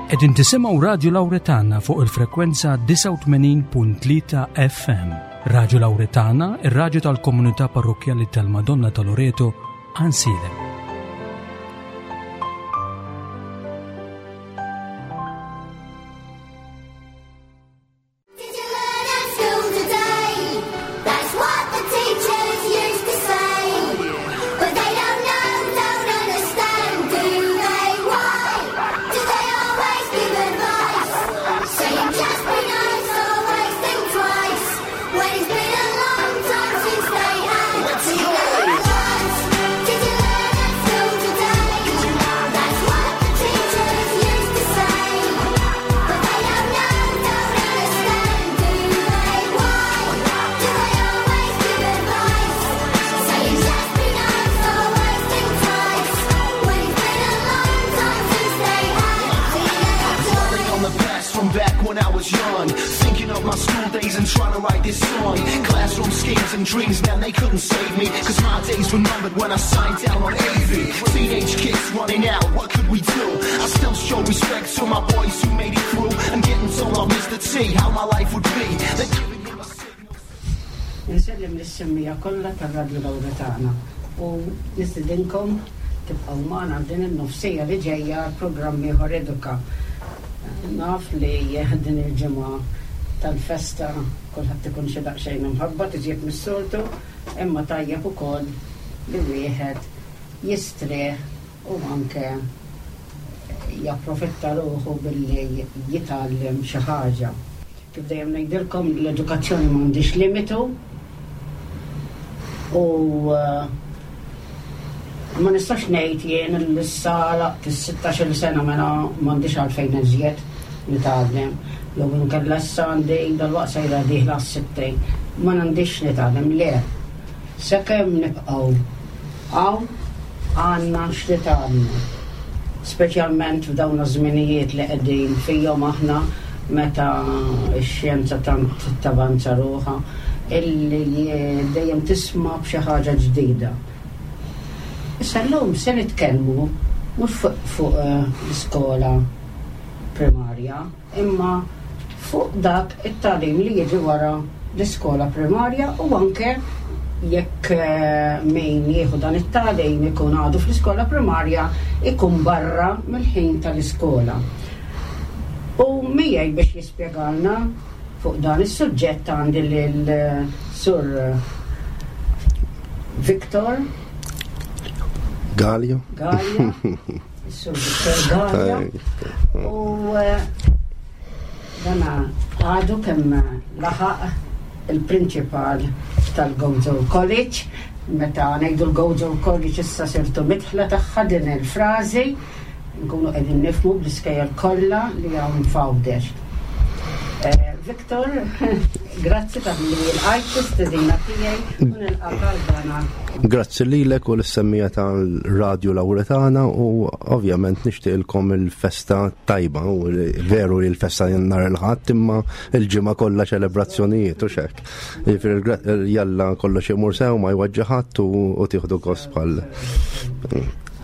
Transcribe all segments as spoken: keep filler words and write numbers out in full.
Qegħdin tisimgħu Radio Lauretana fuq il-frekwenza disgħa u tmenin punt tlieta F M. Radio Lauretana, ir-radju tal-komunità parrokjali tal-Madonna ta' Loreto, Għajnsielem. Did you learn at school today? That's what the teachers used to say. But they don't know, don't understand, do they? Why do they always give advice? Saying just be nice, always think twice. When it's been a long time since they had teenage. Did you learn at school today? That's what the teachers used to say. But they don't know, don't understand, do they? Why do they always give advice? Saying just be nice, always think twice. When it's been a long time since they had teenage On the past from back when I was young, thinking of my school days and trying to write this song. Classroom schemes and dreams, man, they couldn't save me, 'cause my days were numbered when I signed down on A V. Teenage kids running out, what could we do? I still show respect to my boys who made it through and getting told off Mister T how my life would be. They're giving him a signal. Insellem lis-semmiegħa kollha tar-Radio Lauretana u nistidinkom tibqgħu magħna din in-nofsija li ġejja programm ieħor Eduka. Naf li din il-ġimgħa tal-festa kulħadd ikun xi daqsxejn imħabbat iżjed mis-soltu, imma tajjeb ukoll li wieħed jistrieħ u anke japprofitta ruħu billi jitgħallem xi ħaġa. Kif dejjem ngħidilkom, l-edukazzjoni m'għandix limitu u eh, ma nistax ngħid jien li issa laqt is-sittax-il sena, mela m'għandix għalfejn iżjed nitgħallem. Jew inkella issa għandi dalwaqt sejra dieħla s-sittin, ma m'għandix nitgħallem. Le. Sakemm nibqgħu hawn għandna x'nitgħallmu. Speċjalment f'dawn iż-żminijiet li qegħdin fihom aħna, meta x-xjenza tant tavanza ruħha illi dejjem tisma' b'xi ħaġa ġdida. Issa llum se nitkellmu mhux fuq fuq eh, l-iskola primarja, imma fuq dak it-tagħlim li jiġi wara l-iskola primarja u anke jekk eh, min jieħu dan it-tagħlim ikun għadu fl-iskola primarja, ikun barra mill-ħin tal-iskola. U miegħi biex jispjegalna fuq dan is-suġġett għandi lil eh, Sur Victor Gallia. Gallia, Sur Victor Gallia. U eh, dana għadu kemm laħaq il-principal tal-Gozo College. Meta ngħidu l-Gozo College, issa sirtu midħla tagħha din il-frażi, nkunu qegħdin nifhmu bl-iskejjel kollha li hawn f'Għawdex. Eh, Victor, grazzi talli lqajt l-istedina tiegħi u nilqak għal dana. Grazzi lilek u lis-semmiegħa tal-Radio Lauretana u ovvjament nixtieqilkom il-festa tajba, u veru li l-festa nhar il-Ħadd, imma il-ġimgħa kollha ċelebrazzjonijiet u xek. Jiġifieri jalla kollox imur sew, ma jweġġa' ħadd u u tieħdu gost bħal.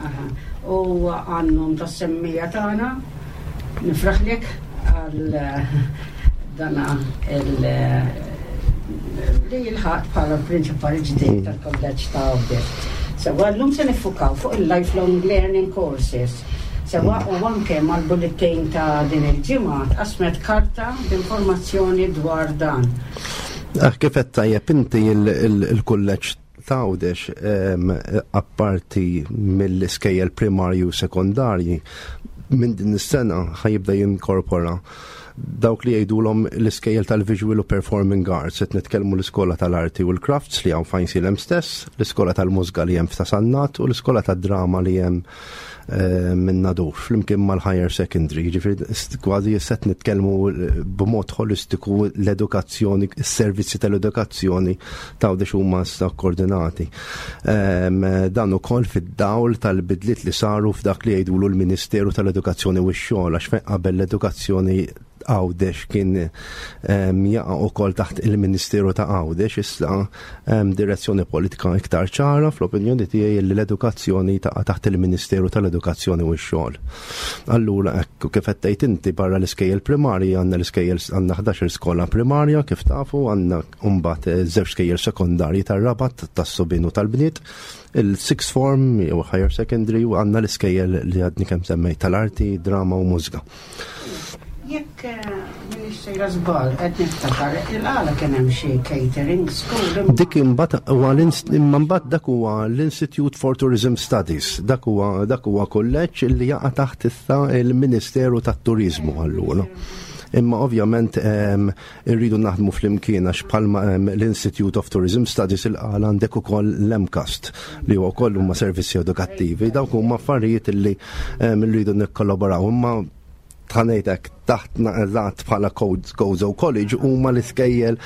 Aha. U għan-nom tas-semmiegħa tagħna nifraħlek għal eh, dana il li lħaqt bħala l-prinċipal ġdid tal-kolleġġ ta' Għawdex. Sewwa, llum se niffukaw fuq il-lifelong learning courses. Sewwa, u anke mal-bulletin ta' din il-ġimgħa tqasmet karta b'informazzjoni dwar dan. Ah, kif qed tajjeb inti, il-kulleġġ ta' Għawdex, apparti mill-iskejjel primarju u sekondarji, minn din is-sena ħa jibda jinkorpora dawk li jgħidulhom l-iskejjel tal-Visual u Performing Arts. Qed nitkellmu l-iskola tal-arti u l-crafts li hawn f'Għajnsielem stess, l-iskola tal-mużika li hemm f'Ta' Sannat u l-iskola tad-drama li hemm eh, minn Nadur, flimkien mal-higher secondary. Ġifieri kważi qed nitkellmu b'mod holistiku l-edukazzjoni, is-servizzi tal-edukazzjoni ta' Għawdex huma issa koordinati. Em, Dan ukoll fid-dawl tal-bidliet li saru f'dak li jgħidulu l-Ministeru tal-Edukazzjoni u x-xogħol, għax fejn qabel l-edukazzjoni Għawdex kien jaqa' ukoll taħt il-Ministeru ta' Għawdex, issa direzzjoni politika iktar ċara fl-opinjoni tiegħi li l-edukazzjoni taqa' taħt il-Ministeru tal-Edukazzjoni u x-Xogħol. Allura hekk kif qed tgħid inti, barra l-iskejjel primarji għandna l-iskejjel, għandna ħdax-il skola primarja kif tafu, għandna mbagħad żewġ skejjel sekondarji tar-Rabat tas-subien u tal-bniet, il-sixth form jew higher secondary, u għandna l-iskejjel li għadni kemm semmejt tal-arti, drama u mużika. Jekk m'iniex sejra żball, qed niftakar il-għala kien hemm xi catering school. Dik imbagħad huwa imma mbagħad dak huwa l-Institute for Tourism Studies. Dak huwa dak huwa kulleġġ li jaqa' taħt issa il-Ministeru tat-Turizmu allura. Imma ovvjament irridu naħdmu flimkien għax bħalma l-Institute of Tourism Studies il-għala għandek ukoll l-M CAST li huwa wkoll huma servizzi edukattivi. Dawk huma affarijiet li rridu nikkollaboraw, imma ħa ngħidlek taħt naqrat bħala Gozo College huma l-iskejjel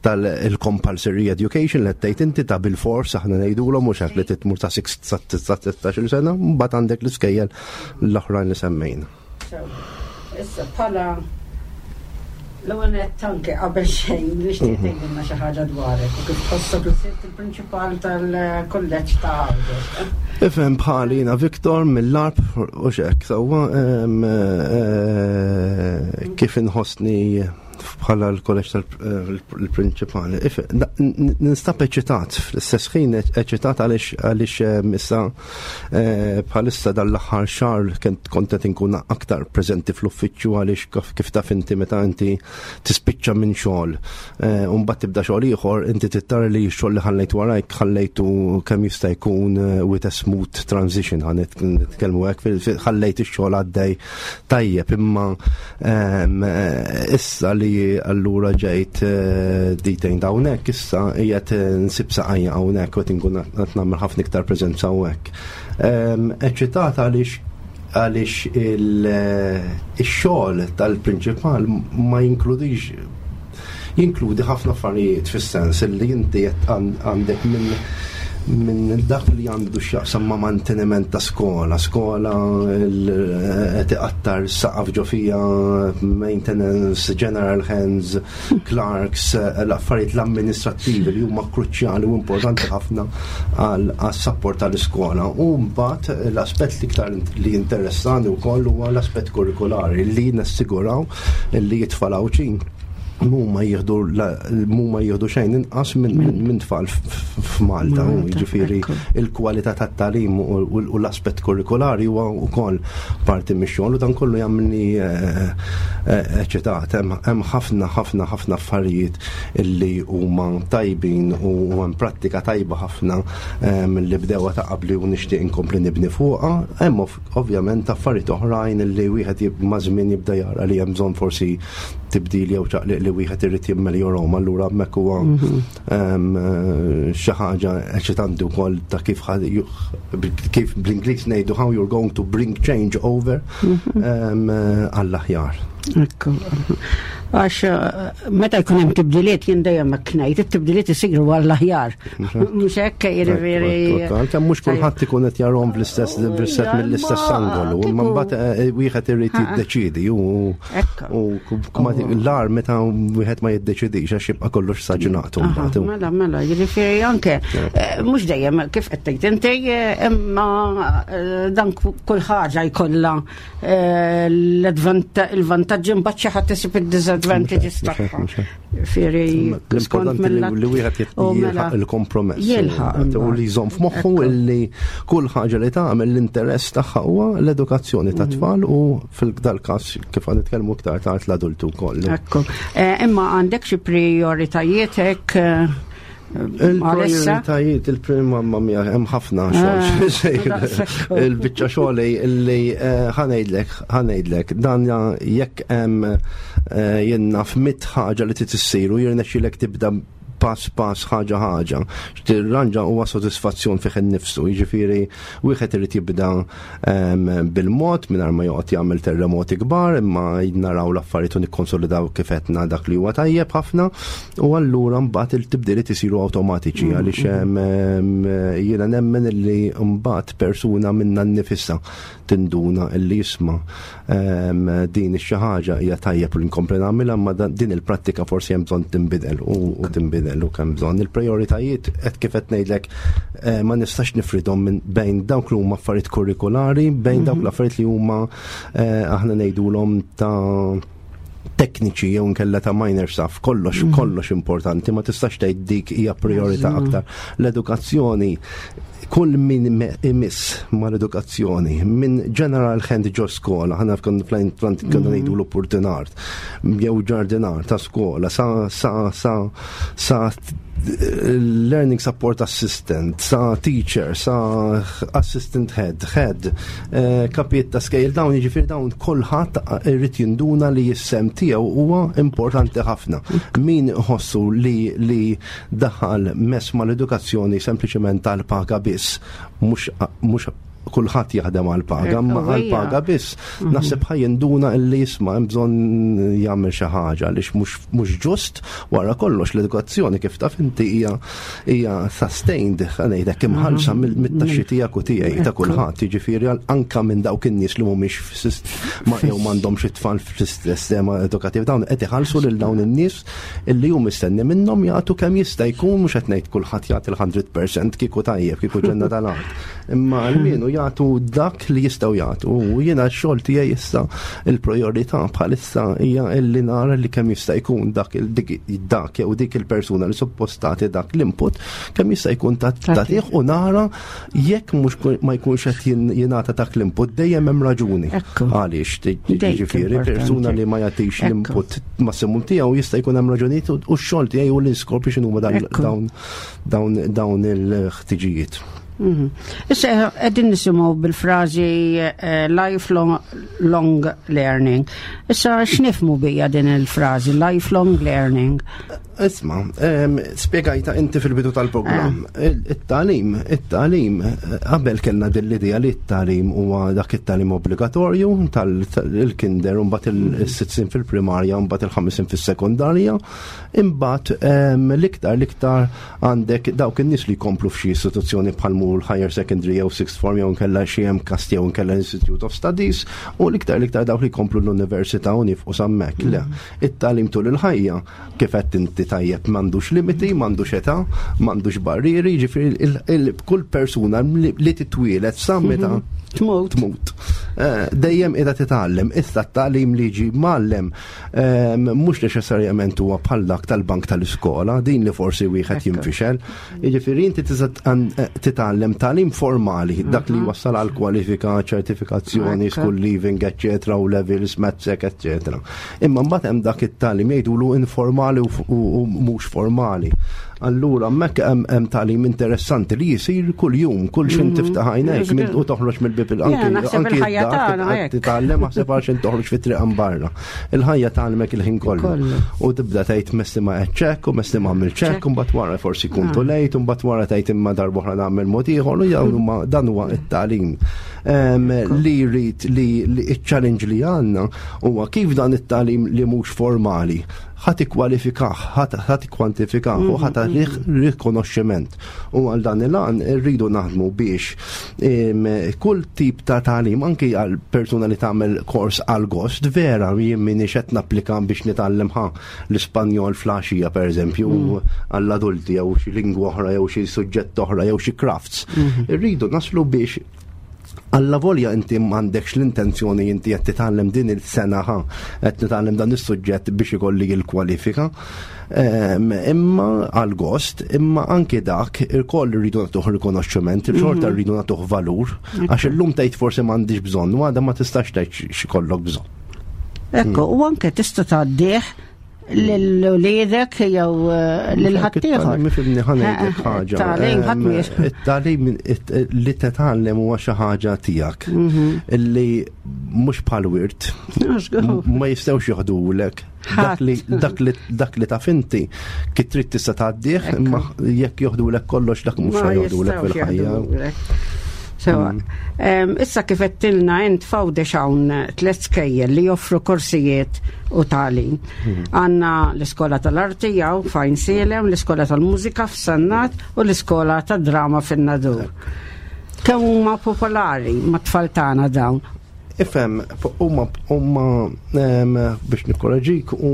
tal-compulsory education li tgħid inti ta' bil-fors aħna ngħidulhom, mhux hekk, li titmur ta' sittax-il sena, mbagħad għandek l-iskejjel l-oħrajn li semmejna. Issa bħala l-ewwel nett, anke qabel xejn, nixtieq mhm. tgħidilna xi ħaġa dwarek u kif tħossok li sirt il-prinċipal tal-kulleġġ ta' Għawdex. Ifhem, bħali jiena Viktor mill-Għarb u xek, sewwa, eh, kif inħossni bħala l-kolleġġ tal-prinċipali. Ninstab eċitat, fl-istess ħin eċitat għaliex għaliex issa eh, bħalissa dal-aħħar xahar kont qed inkun aktar preżenti fl-uffiċċju għaliex kif taf inti, meta inti tispiċċa minn xogħol eh, u mbagħad tibda xogħol ieħor, inti trid li x-xogħol li ħallejt warajk ħallejtu kemm jista' jkun eh, with a smooth transition, ħa nitkellmu hekk, ħallejt ix-xogħol għaddej tajjeb. Imma issa li allura ġejt eh, detained hawnhekk, issa qiegħed eh, nsib saqajja hawnhekk u qed inkun qed nagħmel ħafna iktar preżenza hawnhekk. Eċċitata għaliex għaliex il-xogħol tal-prinċipal ma jinkludix, jinkludi ħafna affarijiet, fis-sens li inti għandek minn minn dak li għandu x'jaqsam ma' manteniment ta' skola, skola qed iqattar saqaf ġo fija, maintenance, general hands, clerks, l-affarijiet l-amministrattivi li huma kruċjali u importanti ħafna għas-support tal-iskola. U mbagħad l-aspett l-iktar li interessani wkoll huwa l-aspett kurrikulari, li nassiguraw li t-tfal Għawdxin mhuma jieħdu mhuma jieħdu xejn inqas minn tfal f'Malta, u jiġifieri il-kwalità tat-tagħlim u l-aspett kurrikulari huwa wkoll parti mix-xogħol, u dan kollu jagħmilni eh, eh, eċitat. Hemm ħafna ħafna ħafna affarijiet illi huma tajbin u hemm prattika tajba ħafna li bdewha ta' qabli u nixtieq inkompli nibni fuqha. Hemm ovvjament affarijiet oħrajn illi wieħed ma' żmien jibda jara li hemm bżonn forsi tibdil jew ċaqliq li wieħed irid jimmeljorhom, allura hemmhekk huwa mhm. xi ħaġa eċitanti wkoll ta' kif kif bl-Ingliż ngħidu how you're going to bring change over mhm. għall-aħjar. Ekku. Għax eh, meta jkun hemm tibdiliet, jien dejjem hekk ngħid, it-tibdiliet isiru għall-aħjar. Mhux hekk, jiġifieri? Għalkemm mhux kulħadd ikun qed jarahom bl-istess bl-istess mill-istess angolu, imma mbagħad eh, wieħed irid jiddeċidi u l-ar meta wieħed ma jiddeċidix għax jibqa' kollox staġnat mbagħad. Mela, mela, jiġifieri anke eh, mhux dejjem kif qed tgħid inti, imma dan kull ħaġa jkollha l-vantaġġi, mbagħad xi ħadd isib id-disadvantages tagħha. Fieri l-importanti li wieħed jilħaq il-kompromess. Jilħaq. U li jżomm f'moħħu li kull ħaġa li tagħmel, l-interess tagħha huwa l-edukazzjoni ta' tfal u fil-dal każ kif għad nitkellmu iktar tard l-adultu wkoll. Ekku. Eh, imma għandek xi prioritajiet hekk eh, Il-prioritajiet, il-prima, mamma mia, hemm ħafna xogħol. Ah, Il-biċċa xogħol li eh, ħa ngħidlek, ħa ngħidlek, dan jekk hemm eh, jenna f'mitt ħaġa li trid issir u jirnexxilek tibda Pass pass, ħaġa ħaġa. Tirranġa huwa sodisfazzjon fih innifsu, jiġifieri wieħed irid jibda em, bil-mod mingħajr ma joqgħod jagħmel terremoti kbar, imma naraw l-affarijiet u nikkonsolidaw kif qedna dak li huwa tajjeb ħafna u allura mbagħad il-tibdiliet isiru awtomatiċi għaliex em, em, jiena nemmen illi mbagħad persuna minna nnifisha tinduna illi jisma' em, din ix-xi ħaġa hija tajjeb li nkompli nagħmilha, imma dan- din il-prattika forsi hemm bżonn tinbidel u u tinbidel u kemm bżonn. Il-prioritajiet qed kif qed ngħidlek eh, ma nistax nifridhom minn bejn dawk li huma affarijiet kurrikulari, bejn dawk l-affarijiet li huma eh, aħna ngħidulhom ta' tekniċi jew nkella ta' minor stuff, kollox kollox importanti, ma tistax tgħid dik hija priorità aktar. L-edukazzjoni, kull min me- imiss ma l-edukazzjoni, minn general hand ġo skola, ħana konna konna ngħidu l-opportunart, jew ġardinar ta' skola, sa sa sa sa learning support assistant, sa teacher, sa assistant head, head, eh, kapijiet ta' skejjel, dawn jiġifieri dawn kulħadd irid jinduna li s-sehem tiegħu huwa importanti ħafna. Min ħossu li li daħal mess mal-edukazzjoni sempliċement tal-paga biss, mhux mhux kulħadd jaħdem għal-paga, ma Ekku, hija. għal-paga biss. Naħseb ħa jinduna illi jisma' hemm bżonn jagħmel xi ħaġa għaliex mhux mhux ġust. Wara kollox l-edukazzjoni, kif taf inti, hija hija sustained, ħa ngħidlek, imħallsa mill- mit-taxxi tiegħek u tiegħi, ta' kulħadd, jiġifieri għal- anka minn dawk in-nies li mhumiex fis- ma jew m'għandhomx it-tfal fis-sistema edukattiv, dawn qed iħallsu lil dawn in-nies illi hu mistenni minnhom jagħtu kemm jista' jkun. Mhux qed ngħid kulħadd jagħti l-mija fil-mija, kieku tajjeb, kieku ġenna tal-art. Imma almenu jagħtu dak li jistgħu jagħtu. U jiena x-xogħol tiegħi issa, il-priorità bħalissa hija illi nara li kemm jista' jkun dak il- dik dak jew dik il-persuna li suppost tagħti dak l-input kemm jista' jkun ta' tagħtih u nara jekk mhux ku- ma jkunx qed jin- jingħata dak l-input, dejjem hemm raġuni. Ekku. Għaliex Dik jiġifieri importanti. persuna li ma jagħtix Ekku. l-input massimum tiegħu jista' jkun hemm raġunijiet u u x-xogħol tiegħi u l-iskop x'inhuma dan- Ekku. dawn dawn dawn il-ħtiġijiet. Mhm. Issa qegħdin nisimgħu bil-frażi eh, lifelong long learning. Issa x'nifhmu bija din il-frażi lifelong learning? Isma, em, spiegajta inti fil-bidu tal-programm. Il- It-tagħlim, it-tagħlim, eh, qabel kellna din l-idea li t-tagħlim huwa dak it-tagħlim obbligatorju tal-kinder, mbagħad il-sitt snin fil-primarja, mbagħad il-ħames snin fis-sekondarja, imbagħad em, l-iktar l-iktar għandek dawk in-nies li jkomplu f'xi istituzzjoni bħal mur higher secondary jew sixth form jew nkella xi MCAST jew nkella Institute of Studies u l-iktar l-iktar dawk li jkomplu l-università u nieqfu s'hemmhekk. Le, it-tagħlim tul il-ħajja, kif qed inti tajjeb, m'għandux limiti, m'għandux età, m'għandux barrieri, jiġifieri il- il- kull persuna li li titwielet sa meta Tmut. tmut. Eh, Dejjem qiegħda titgħallem, issa t-tagħlim li ġi mgħallem ehm, mhux neċessarjament huwa bħal dak tal-bank tal-iskola, din li forsi wieħed Ekku. jinfixel. Jiġifieri inti tista' tqan- eh, titgħallem tagħlim formali, dak li wassal għal kwalifika, ċertifikazzjoni, Ekku. school leaving, eccetera, u levels, MATSEC, eccetera. Imma mbagħad hemm dak it-tagħlim jgħidulu informali u u u mhux formali. Allura hemmhekk hemm hemm tagħlim interessanti li jisir kull jum, kull xin tiftaħ għajnejk minn- u toħroġ mill-bib il Ja, naħseb il-ħajja id-dar tagħna tibqa' hekk. titgħallem, naħseb għax toħroġ fit-triq barra. Il-ħajja tgħallmek il-ħin kollu. Kollu. U tibda tgħid messi ma qed u messi ma għamil ċekk, u mbagħad wara forsi kun too late, u mbagħad wara tgħid imma darba oħra nagħmel mod ieħor, u dawn huma dan huwa it-tagħlim. Em, Li jrid li li iċ-challenge li għandna huwa kif dan it-tagħlim li mhux formali ħa tikkwalifikah, ħa tikkwantifikah u ħa tagħtih rikonoxximent. U għal dan il-għan rridu naħdmu biex em, kull tip ta' tagħlim, anki għal persuna li tagħmel kors għal gost, vera jien minix qed napplika biex nitgħallem ħa l-Ispanjol flaxija per eżempju għall-adulti jew xi lingwa oħra jew xi suġġett oħra jew xi crafts. Irridu naslu biex alla volja inti m'għandekx l-intenzjoni inti qed titgħallem din il-sena ħa qed nitgħallem dan is-suġġett biex ikolli l-kwalifika. Em, Imma għal gost, imma anke dak il-koll rridu nagħtuh rikonoxximent, il-xorta rridu nagħtuh valur, għax illum tgħid forsi m'għandix bżonn, u għada ma tistax tgħid x'ikollok bżonn. Ekku, u anke tista' tgħaddih lil uliedek jew eh, lil ħaddieħor. Mifhimni, ħa ngħidlek ħaġa. Tagħlim ħadd Em, mhijiex. It-tagħlim it- li titgħallem huwa xi ħaġa tiegħek illi mhux bħal wirt. Ma jistgħux joħdulek. Dak li, dak li, dak li taf inti, kif trid tista' tgħaddih, imma jekk joħdulek kollox, dak mhux Ma joħdulek jistgħux fil-ħajja. jaħdulek. Sewa, em, issa kif għedtilna int, f'Għawdex hawn tliet skejjel li joffru korsijiet u tagħlim. Għandna l-Iskola tal-Arti hawn f'Għajnsielem, l-Iskola tal-Mużika f'Sannat u l-Iskola tad-Drama fin-Nadur. Kemm huma popolari mat-tfal tagħna dawn? Ifhem, huma huma em, biex nikkoraġik, u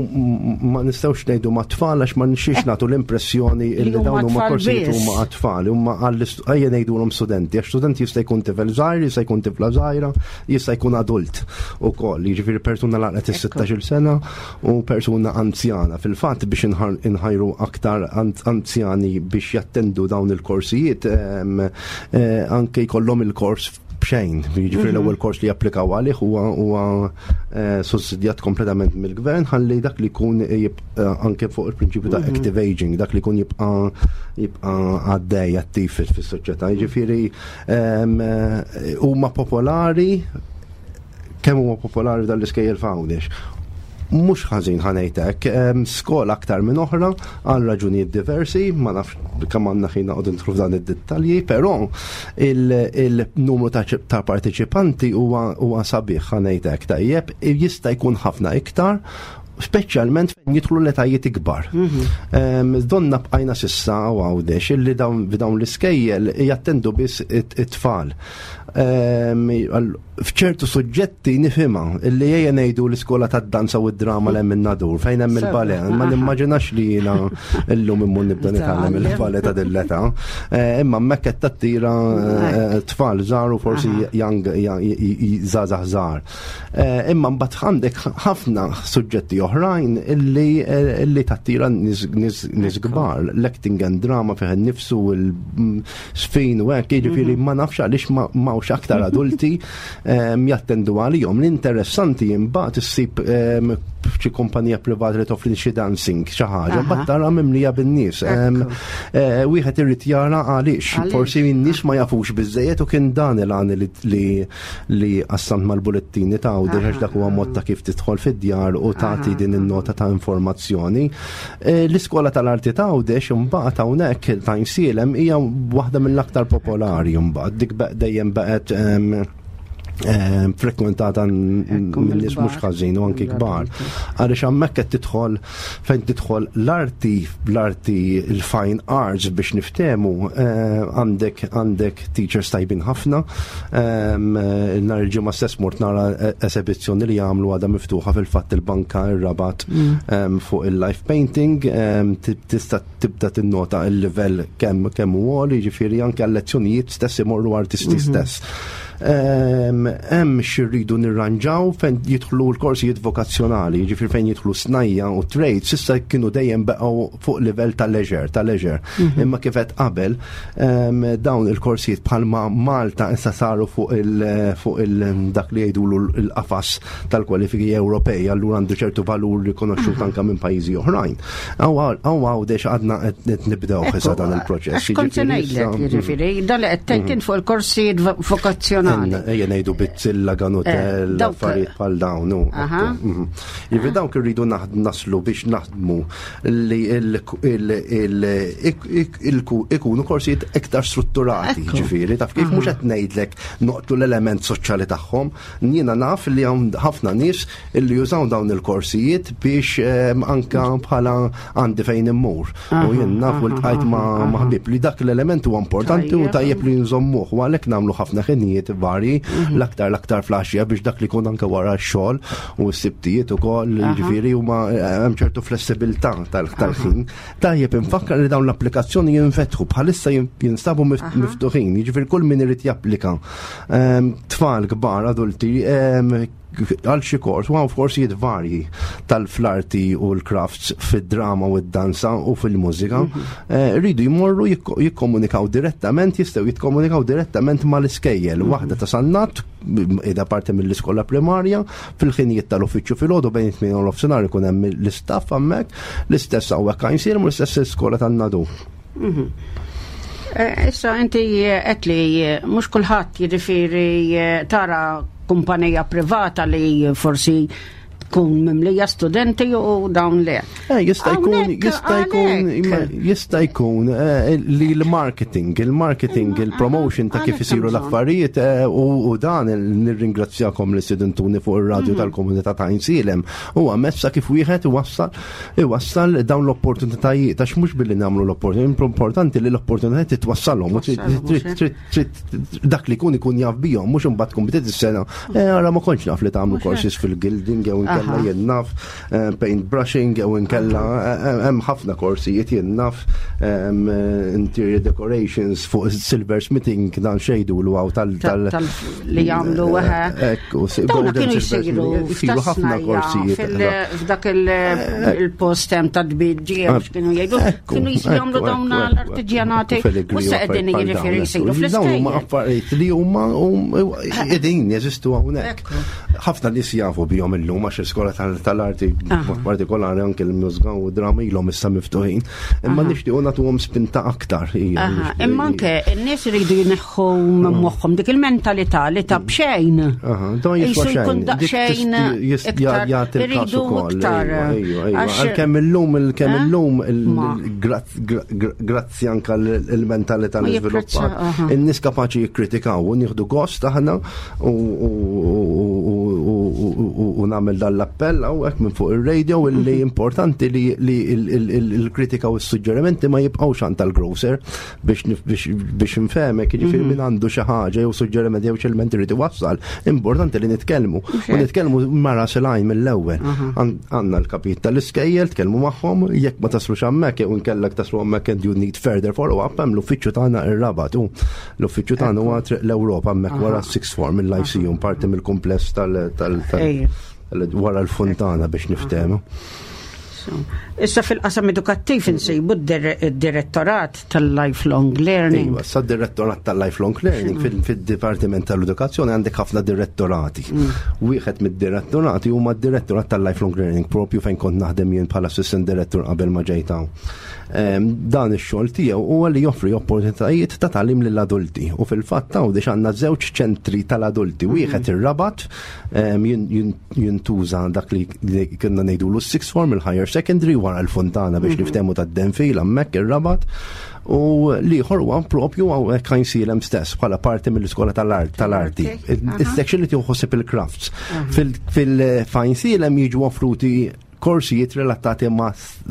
ma nistgħux ngħidu ma' tfal għax ma nixix nagħtu l-impressjoni Li li huma dawn huma tfal korsijiet biss. Huma għat-tfal, huma għall ejja ngħidulhom studenti, għax studenti jista' jkun tifel żgħir, jista' jkun tifla żgħira, jista' jkun adult ukoll, jiġifieri persuna laqgħet is-sittax-il sena u persuna anzjana. Fil-fatt, biex inħar- inħajru aktar an- anzjani biex jattendu dawn il-korsijiet, em, eh, anke jkollhom il-kors b'xejn, jiġifieri l-ewwel kors li japplikaw għalih huwa huwa eh, sussidjat kompletament mill-gvern, ħalli dak li jkun jibqa' anke fuq il-prinċipju ta' active aging, dak li jkun jibqa' jibqa' għaddej attiv fis- fis-soċjetà. Jiġifieri em, eh, huma popolari. Kemm huma popolari dal-iskejjel f'Għawdex? Mhux ħażin, ħa ngħidlek, skola aktar minn oħra għal raġunijiet diversi, ma nafx kemm għandna ħin noqogħdu nidħlu f'dan id-dettalji, però il-numru ta' ta' parteċipanti huwa huwa sabiħ, ħa ngħidlek, tajjeb, jista' jkun ħafna iktar, speċjalment fejn jidħlu l-etajiet ikbar. Em, Donna bqajna s'issa u Għawdex illi dawn dawn l-iskejjel jattendu biss it-tfal. Em, għal- F'ċertu suġġetti nifhimha, illi ejja ngħidu l-iskola tad-danza u d-drama l hemm in-Nadur fejn hemm il-ballet. Ma Aha. nimmaġinax li jiena illum immur nibda nitgħallem il-ballet ta' dil-età. Eh, Imma hemmhekk qed tattira eh, tfal żgħar u forsi young żgħażagħ żgħar. Eh, Imma mbagħad għandek ħafna suġġetti oħrajn illi eh, illi tattira nies nies nies kbar. L-acting and drama fih innifsu, il-sfin u hekk, jiġifieri ma nafx għaliex ma m'hawnx aktar adulti em, jattendu għalihom. L-interessanti imbagħad issib em, xi kumpanija privata li toffri xi dancing, xi ħaġa, Aha. mbagħad tara mimlija bin-nies. Em, Ekku. eh, Wieħed irid jara għaliex, Għaliex. Forsi n-nies ma jafux biżejjed u kien dan il-għan li li li qassamt mal-bulettini ta' Għawdex, għax dak huwa mod ta' kif tidħol fid-djar u tagħti din in-nota ta' informazzjoni. Eh, L-iskola tal-arti ta' Għawdex imbagħad hawnhekk ta' Għajnsielem hija waħda mill-aktar popolari mbagħad. Dik beq- dejjem baqgħet em, em, frekwentata Ekku, minn nies mhux mill-kbar. ħażin u anki kbar. Għaliex hemmhekk qed tidħol fejn tidħol l-arti, l-arti, il-fine arts biex niftemu, eh, għandek għandek teachers tajbin ħafna. Em, eh, Nhar il-Ġimgħa stess mort nara eh, esebizzjoni li jagħmlu, għadha miftuħa fil-fatt, il-banka ir-Rabat em, fuq il-live painting, em, ti- tista' tibda tinnota il-livell kemm kemm hu għoli, jiġifieri anke għal-lezzjonijiet stess imorru artisti stess. Em, Hemm xi rridu nirranġaw fejn jidħlu l-korsijiet vokazzjonali, jiġifieri fejn jidħlu snajja u trades, s'issa kienu dejjem baqgħu fuq livell ta' leisure, ta' leisure. Imma kif qed qabel, em, dawn il-korsijiet bħalma Malta issa saru fuq il fuq il dak li jgħidulu l-qafas tal-kwalifiki Ewropej, allura għandu ċertu valur rikonoxxut anke minn pajjiżi oħrajn. Hawn Għawdex għadna qed nibdew issa dan il-proċess. Għax kont se Jiġifieri ngħidlek, issa- jiġifieri, dan li qed tgħid fuq il-korsijiet vo- vokazzjonali. Ejja ngħidu bizzilla, ganutel, Eh, dawk- affarijiet bħal dawn. u, Aha. ekku, mhm. Jiġifieri dawk irridu naħd- naslu biex naħdmu li il- il- il- ik- ik- il- ikunu korsijiet iktar strutturati, Ekku. ġifieri, taf kif, mhux qed ngħidlek noqtlu l-element soċjali tagħhom. Jiena naf li hawn ħafna nies illi jużaw dawn il-korsijiet biex em, anka bħala għandi fejn immur. U jien naf u ltqajt ma' ma' ħbieb li dak l-element huwa importanti u Tajjeb. tajjeb li nżommuh u għalhekk nagħmlu ħafna ħinijiet vari, l-aktar l-aktar filgħaxija biex dak li jkun anke wara x-xogħol u s-sibtijiet ukoll, jiġifieri huma eh, hemm ċertu flessibilità tal- tal-ħin. Tajjeb infakkar li dawn l-applikazzjoni jinfetħu bħalissa, jin- jinstabu mif- miftuħin, jiġifieri kull min irid japplika, ehm, tfal, kbar, adulti, ehm, għal xi kors, u hawn korsijiet varji tal-fl-arti u l-crafts, fid-drama u d-danza u fil-mużika, eh, rridu jmorru jikko- jikkomunikaw direttament, jistgħu jikkomunikaw direttament mal-iskejjel. Waħda ta' Sannat, ida parti mill-iskola primarja, fil-ħinijiet tal-uffiċċju filgħodu bejn it-tmien u nofsinhar ikun hemm l-istaff hemmhekk, l-istess hawnhekk Għajnsielem u l-istess l-iskola tan-Nadur. Eh, Issa inti qed li eh, mhux kulħadd, jiġifieri eh, tara kumpanija privata li forsi tkun mimlija studenti u dawn le. Eh, jista' jkun, Hawnhekk jista' jkun, għalhekk. jista' jkun eh, li l-marketing, il-marketing, il-promotion ta' kif għalhekk isiru hemm bżonn. l-affarijiet eh, u u dan il- nirringrazzjakom li stedintuni fuq ir-radju tal-komunità ta' Għajnsielem. Huwa mezz kif wieħed iwassal iwassal dawn l-opportunitajiet, għax mhux billi nagħmlu l-opportunitajiet, importanti li l-opportunitajiet titwassalhom u trid- Twassalhom, trid- mhux trid- trid- dak li jkun ikun jaf bihom, mhux imbagħad tkun bdiet is-sena. Eh, ara ma kontx naf li tagħmlu courses fil-gilding jew inkella Aha. jien naf eh, paint brushing jew inkella eh, hemm ħafna korsijiet jien naf em, eh, interior decorations fuq silversmithing dan xejdu l għaw tal tal- tal li jagħmlu eħe. Ekku, si- Dawna golden kienu silversmithing, jsiru isiru ħafna f'tas-snajja korsijiet. fil- f'dak il- il-post hemm ta' tbiġġi kienu jgħidu Ekku, kienu jsiru jagħmlu ekku, dawn ekku, ekku, l-artiġjanati ekku, filigree u u se qegħdin affarijiet bħal jiġifieri dawn, jsiru ekku. Dawn huma fl-iskejjel. affarijiet li huma hum- qegħdin jeżistu hawnhekk. Ħafna nies jafu bihom illum għax l-iskola tal- tal-arti b'mod partikolari anke l-mużika u drama ilhom issa miftuħin. Imma nixtiequ nagħtuhom spinta aktar. hija, Aha, nixtieq- Imma anke n-nies iridu jneħħu minn moħħhom dik il-mentalità li ta' bxejn. Aha, dan jiswa Jisu jkun xejn. Dik daqsxejn tist- jist- iktar, jagħti il-każ iridu ukoll, iktar. ejwa, ejwa, ejwa. Għax- Għalkemm illum il-kemm Eh? illum il- Ma. grazz- gra- gra- grazzi anke l-mentalità Ma li jipprezza, żviluppat. aha. In-nies kapaċi jikkritikaw u nieħdu gost aħna u u- u- u- u- u nagħmel dan l-appell hawnhekk minn fuq ir-radio illi Mhm. importanti li li il- il- il- il-kritika u s-suġġerimenti ma jibqgħux għand tal-grocer biex nif- biex biex nfehmek, jiġifieri Mhm. min għandu xi ħaġa jew suġġeriment jew xi element irid iwassal, importanti li nitkellmu. U nitkellmu mara silajn mill-ewwel. Għan- Għandna l-kapit tal-iskejjel, tkellmu magħhom, jekk ma taslux hemmhekk jew inkellek taslu hemmhekk and you need further follow-up, hemm l-uffiċċju tagħna ir-Rabat u l-uffiċċju tagħna huwa Triq l-Ewropa hemmhekk wara s-sixth form il-Lyceum, parti mill-kumpless tal- tal- tal- Ejja. wara l-fontana biex niftehmu. So, Issa fil-qasam edukattiv insibu d-direttorat tal-lifelong learning. Iva, sa direttorat tal-lifelong learning fil- fil-Dipartiment tal-Edukazzjoni għandek ħafna direttorati. Wieħed mid-direttorati huma d-direttorat tal-lifelong learning propju fejn kont naħdem jien bħala assistant director qabel ma ġejt hawn. Em, Dan ix-xogħol tiegħu huwa li joffri opportunitajiet ta' tagħlim lill-adulti u fil-fatt hawn biex għandna żewġ ċentri tal-adulti. Wieħed ir-Rabat em, jin- jin- jintuża dak li li kienna ngħidulu s-sixth form, il-higher secondary wara l-fontana biex niftehmu tad-Denfil hemmhekk ir-Rabat u l-ieħor huwa propju hawnhekk Għajnsielem stess bħala parti mill-iskola tal-art tal-arti. Is-section li tieħu ħsieb il-crafts. Fil-Għajnsielem jiġu offruti korsijiet relatati ma,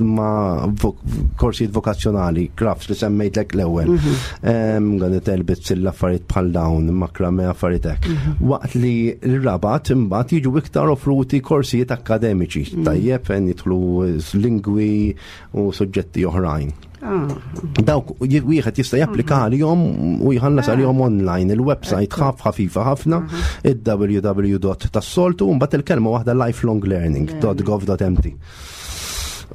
ma vo korsijiet vokazzjonali, crafts li semmejtlek l-ewwel. Għan telbit l-affarijiet bħal dawn, makrame affarijiet hekk. Waqt li l-Rabat imbagħad jiġu iktar offruti korsijiet akademiċi, tajjeb fejn jidħlu lingwi u suġġetti oħrajn. Ah, Dawk wieħed jista' japplika għalihom u jħallas għalihom online il-website ħaf ħafifa ħafna id-www tas-soltu u mbagħad il-kelma waħda lifelonglearning.gov.mt.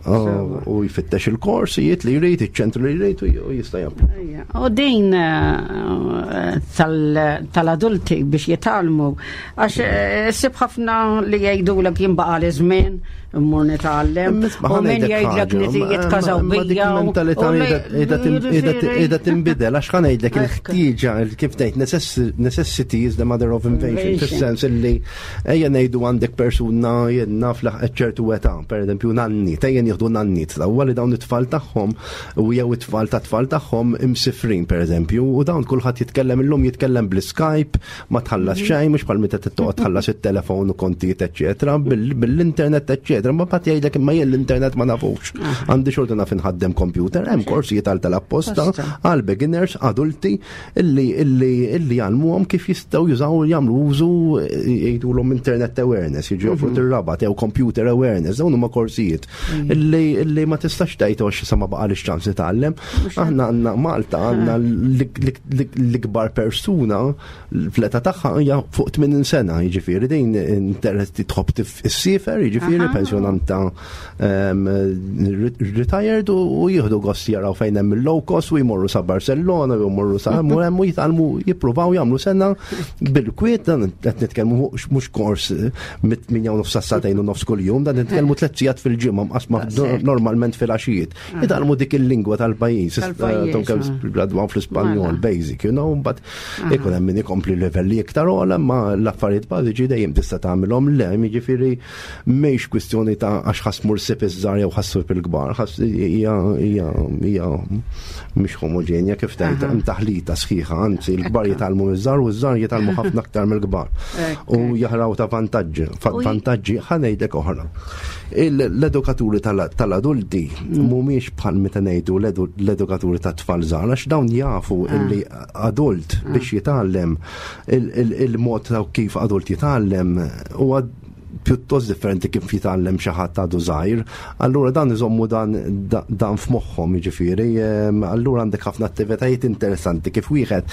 U jfittex il-korsijiet li jrid, iċ-ċentru li jrid u jista' japplika. ejja. U din eh, tal- tal-adulti biex jitgħallmu, għax eh, sib ħafna li jgħidulek jien baqagħli żmien, immur nitgħallem, u min jgħidlek niti jitkażaw bija. u- mentalità u li- qiegħda tinbidel għax ħa ngħidlek Ekku. il-ħtieġa il- kif tgħid necess- necessity is the mother of invention Invention. fis-sens illi ejja ngħidu għandek persuna jien naf laħqet ċertu età, pereżempju nanni, ejja nieħdu nannit, l-ewwel li dawn it-tfal tagħhom u jew it-tfal ta' tfal tagħhom imsifrin pereżempju, u dawn kulħadd jitkellem illum jitkellem bl-Skype, ma tħallas xejn, mhux bħal meta toqgħod tħallas it-telefon u kontijiet eċċetera, bil- bil-internet eċċetera, ma mbagħad jgħidlek imma jien l-internet ma nafux. Għandi xorta naf inħaddem computer, hemm korsijiet għal tal-apposta Posta. għal beginners, adulti illi illi illi jgħallmuhom kif jistgħu jużaw jagħmlu użu jgħidulhom internet awareness, jiġu joffru ir-Rabat jew computer awareness, dawn huma korsijiet illi illi ma tistax tgħid għax sa ma baqalix ċans nitgħallem. Aħna għandna Malta għandna l-ikbar persuna fl-età tagħha hija fuq tmenin sena, jiġifieri din interessi tħobb issiefer, jiġifieri Aha. pensjonanta em, retired u u jieħdu gost jaraw fejn hemm il-low cost u jmorru sa Barcellona u jmorru sa hemm u hemm u jitgħallmu jippruvaw jagħmlu sena bil-kwiet dan qed nitkellmu mhux kors mit-tmienja u nofs sa sagħtejn u nofs kuljum, dan nitkellmu tliet sigħat fil-ġimgħa mqasma Normalment fil-għaxijiet. Jitgħallmu dik il-lingwa tal-pajjiż. Tal-pajjiż. Gradwaw fl-Ispanjol, basic, you know, but ikun hemm min ikompli livelli iktar ogħla, ma l-affarijiet bażiċi dejjem tista' tagħmilhom. Le, jiġifieri mhix kwistjoni ta' għax ħa mmur ssib iż-żgħar jew ħa ssib il-kbar, hija hija hija mhix homogenja kif tgħid, hemm taħlita sħiħa, anzi l-kbar jitgħallmu miż-żgħar u ż-żgħar jitgħallmu ħafna aktar mill-kbar. U jaħraw ta' vantaġġi, vantaġġi ħa ngħidlek oħra. L-edukaturi tal-adulti mhumiex bħal meta ngħidu l-edukaturi tat-tfal żgħar, għax dawn jafu illi adult biex jitgħallem, il-mod ta' kif adult jitgħallem huwa pjuttost differenti kif jitgħallem xi ħadd għadu żgħir. Allura dan iżommu dan dan f'moħħhom jiġifieri, allura għandek ħafna attivitajiet interessanti kif wieħed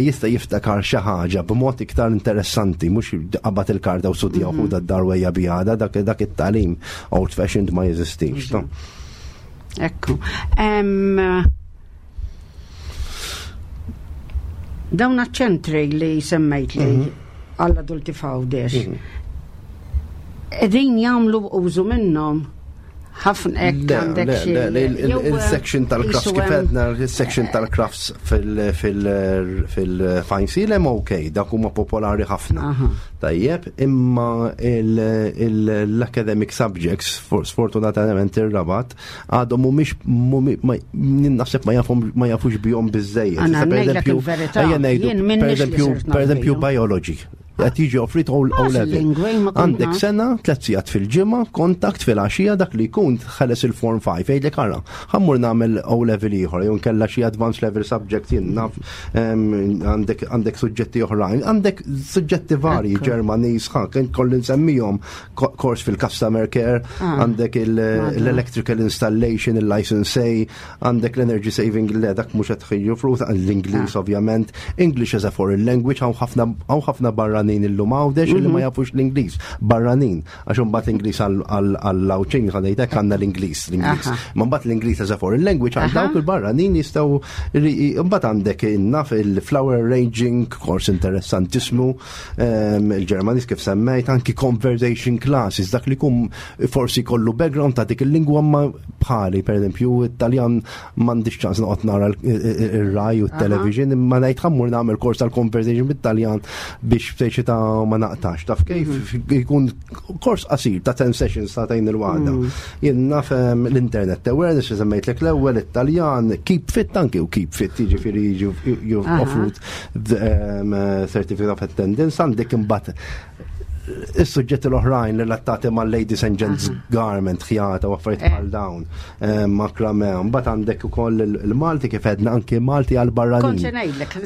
jista' jiftakar xi ħaġa b'mod iktar interessanti, mhux qabad il-karta u studja u ħudha d-dar wejja biha, dak dak it-tagħlim old fashioned ma jeżistix. Ekku. Dawn ċentri li semmejt li għall-adulti f'Għawdex, qegħdin jagħmlu użu minnhom ħafna hekk għandek xi. Il-section tal-crafts kif għedna, il-section tal-crafts fil-Għajnsielem ok, dak huma popolari ħafna. Tajjeb, imma l-academic subjects, sfortunatament ir-Rabat, għadhom mhumiex, naħseb ma jafux bihom biżejjed. Per eżempju, biology. Qed jiġi offrit O level. Għandek sena, tliet sigħat fil-ġimgħa, kontakt fil-għaxija, dak li jkun ħeles il-form five, jgħidlek ara, ħa mmur nagħmel O level ieħor, jew nkella xi advanced level subject, jien naf, għandek għandek suġġetti oħrajn, għandek suġġetti varji, Ġermaniż, ħa, kien kolli nsemmihom, kors fil-customer care, għandek l-electrical installation, il-license A, għandek l-energy saving, le dak mhux qed joffru, l-Ingliż ovvjament, English as a foreign language, hawn ħafna barra barranin illum Għawdex li ma jafux l-Ingliż. Barranin, għax imbagħad l-Ingliż għall-Għawdxin ħa ngħidlek għandna l-Ingliż, l-Ingliż. Ma mbagħad l-Ingliż as a foreign language għal dawk il-barranin jistgħu. Imbagħad għandek naf il-flower arranging, kors interessantissimu, il-Ġermaniż kif semmejt, anki conversation classes, dak li kum forsi kollu background ta' dik il-lingwa ma bħali, per eżempju, Italjan m'għandix ċans noqgħod nara ir-Rai u t-television, imma ngħid ħa mmur nagħmel kors tal-conversation bit-Taljan biex speċi ta' ma naqtax. Taf kif jkun kors qasir ta' ten sessions ta' tajn il-waħda. Jien naf l-internet awareness, semmejtlek l-ewwel Italjan, keep fit anki u keep fit, jiġifieri jiġu offrut certificate of attendance, għandek imbagħad is-suġġetti l-oħrajn relatati ma' ladies and gents garment, ħjata u affarijiet bħal dawn, makrame. Mbagħad għandek ukoll il-Malti kif għedna, anki Malti għal barranin.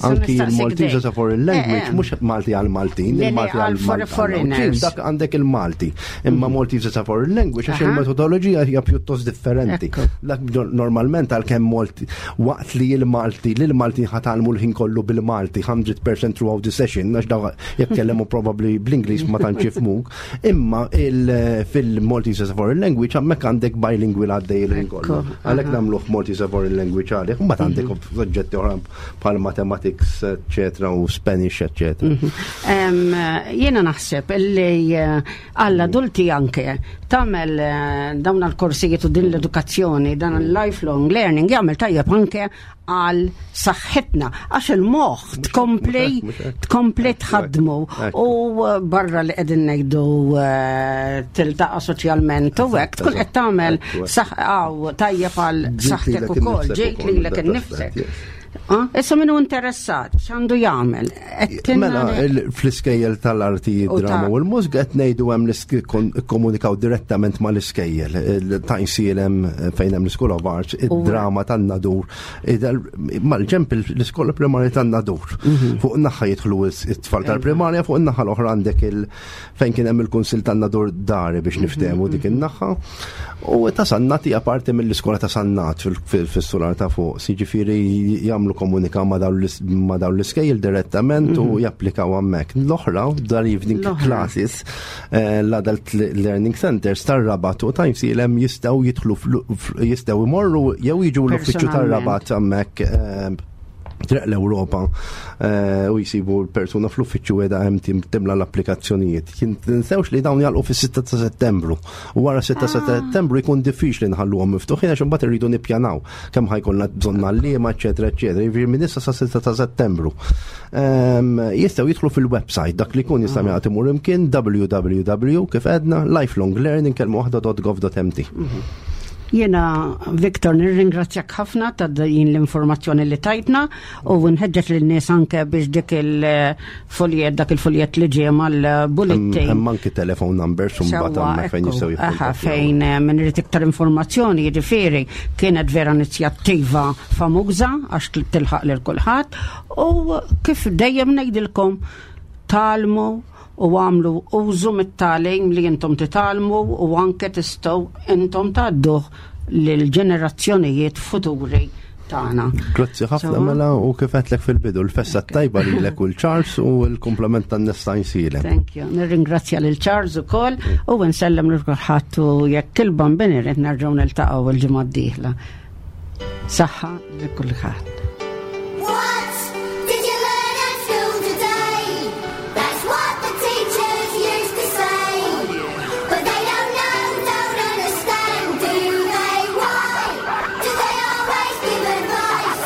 Anki il-Maltese as a foreign language, mhux Malti għal Maltin, il-Malti għal foreigners. Dak għandek il-Malti. Imma Maltese as a foreign language għax il-metodoloġija hija pjuttost differenti. Dak normalment għalkemm Malti waqt li il-Malti, l-Malti ħa tgħallmu l-ħin kollu bil-Malti hundred percent throughout the session, għax daw jitkellmu probably bl-Ingliż ma tantx jifhmuk, imma fil-Maltese as a foreign language hemmhekk għandek bilingual għaddej il-ħin kollu. Għalhekk nagħmluh Maltese as a foreign language għalih, mbagħad għandek suġġetti oħra bħal mathematics, eccetera, u Spanish, eccetera. Jiena naħseb illi għall-adulti anke tagħmel dawn l-korsijiet u din l-edukazzjoni, dan il-lifelong learning jagħmel tajjeb anke għal saħħitna, għax il-moħħ tkompli tkompli tħaddmu u barra li qegħdin ngħidu tiltaqa' soċjalment u hekk tkun qed tagħmel tajjeb għal saħħtek ukoll, ġejt lilek innifsek. Issa minnu interessat, x'għandu jagħmel? Mela, fl-iskejjel tal-arti, drama u l-mużika qed ngħidu hemm komunikaw direttament mal-iskejjel. T'Għajnsielem fejn hemm l-School of Arts, id-drama tan-Nadur, mal-ġemp l-iskola primarja tan-Nadur. Fuq naħa jidħlu it-tfal tal-primarja, fuq in-naħa l-oħra għandek il fejn kien hemm il-Kunsill tan-Nadur dari biex niftehmu dik in-naħa. U ta' Sannat hija parti mill-iskola ta' Sannat fis-sular ta' fuq. Jiġifieri jagħmlu komunika ma' dawn l-iskejjel direttament u japplikaw hemmhekk. L-oħra, dar evening classes, l-Adult Learning Centers tar-Rabat u T'Għajnsielem jistgħu jidħlu, jistgħu imorru jew jiġu l-uffiċċju tar-Rabat hemmhekk. Triq l-Ewropa eh, u jisibu l-persuna fl-uffiċċju qiegħda hemm tim- timla l-applikazzjonijiet. Tinsewx li dawn jagħlqu fis-sitta ta' Settembru. U wara sitta ta' Settembru jkun diffiċli nħalluhom miftuħin għax imbagħad irridu nippjanaw kemm ħa jkollna bżonn għalliema, eċetera, eċetera. Jiġifieri minn issa sa sitta ta' Settembru. Ehm, Jistgħu jidħlu fil-website dak li jkun jista' jagħti imur imkien W W W kif għedna lifelonglearning kelma waħda dot gov dot M T. Jena, Viktor, nirringrazzjak ħafna ta' din l-informazzjoni li tajtna u nħeġġeġ lin-nies anke biex dik il-foljet, dak il-foljet li ġie mal-bulletin. Hemm anki telephone numbers u mbagħad Sewwa, hemmhekk fejn ekku, jistgħu aha, jikkuntattjaw. Fejn eh, min irid iktar informazzjoni, jiġifieri kienet vera inizjattiva famuża għax tilħaq lil kulħadd u kif dejjem ngħidilkom, tgħallmu u għamlu użu mit-tagħlim li intom titgħallmu u anke tistgħu intom tgħadduh lill-ġenerazzjonijiet futuri tagħna. Grazzi ħafna. Sewwa. Mela, u kif għedtlek fil-bidu, l-festa tajba lilek u lil Charles u l-kumplament tan-nies ta' Għajnsielem. Thank you. Nirringrazzja lil Charles ukoll u nsellem lil kulħadd u jekk il-Bambin irid nerġgħu niltaqgħu il-ġimgħa d-dieħla. Saħħa lil kulħadd. What did you learn at school today? That's what the teachers used to say. But they don't know, don't understand, do they? Why do they always give advice?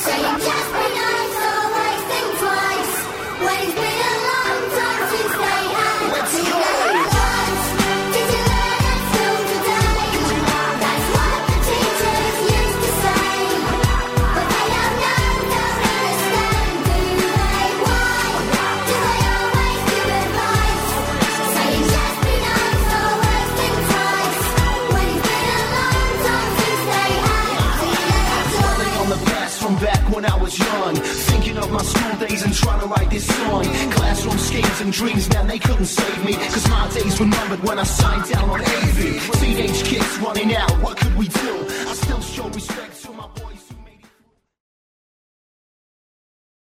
Saying just be nice, always think twice. When it's been a long time since they had Let's to go. What did you learn at school today? That's what the teachers used to say. But they don't know, don't understand, do they? Why do they always give advice? Saying just be nice, always think twice. When it's been a long time since they had to Dwelling on the past from back when I was young. Thinking of my school days and trying to write this song. Classroom schemes and dreams, man, they couldn't save me. 'Cause my days were numbered when I signed down on A V. Teenage kids running out, what could we do? I still show respect to my boys.